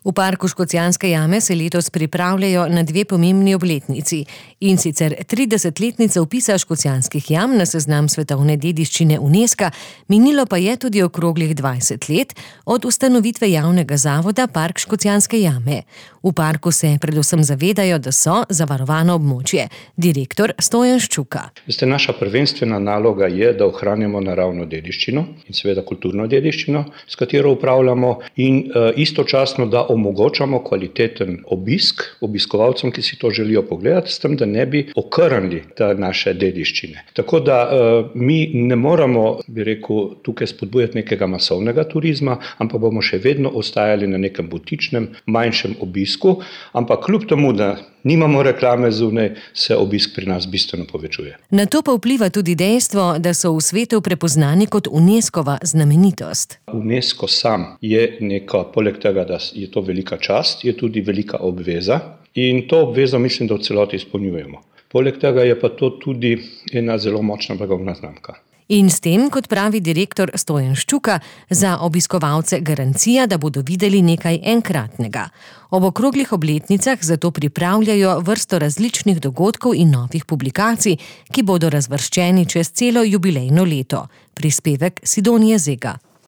V parku Škocjanske jame se letos pripravljajo na dve pomembni obletnici, in sicer 30-letnica vpisa Škocjanskih jam na seznam svetovne dediščine UNESCO, minilo pa je tudi okroglih 20 let od ustanovitve javnega zavoda Park Škocjanske jame. V parku se predvsem zavedajo, da so zavarovano območje. Direktor Stojan Ščuka. Naša prvenstvena naloga je, da ohranjamo naravno dediščino in seveda kulturno dediščino, s katero upravljamo, in istočasno, da omogočamo kvaliteten obisk obiskovalcem, ki si to želijo pogledati, s tem, da ne bi okrnili te naše dediščine. Tako da mi ne moramo, tukaj spodbujati nekega masovnega turizma, ampak bomo še vedno ostajali na nekem butičnem, manjšem obisku, ampak kljub temu, da nimamo reklame zunaj, se obisk pri nas bistveno povečuje. Na to pa vpliva tudi dejstvo, da so v svetu prepoznani kot UNESCO-va znamenitost. UNESCO sam je poleg tega, da je to velika čast, je tudi velika obveza, in to obvezo mislim, da v celoti izpolnjujemo. Poleg tega je pa to tudi ena zelo močna blagovna znamka. In s tem, kot pravi direktor Stojan Ščuka, za obiskovalce garancija, da bodo videli nekaj enkratnega. Ob okroglih obletnicah zato pripravljajo vrsto različnih dogodkov in novih publikacij, ki bodo razvrščeni čez celo jubilejno leto. Prispevek Sidonije Zega.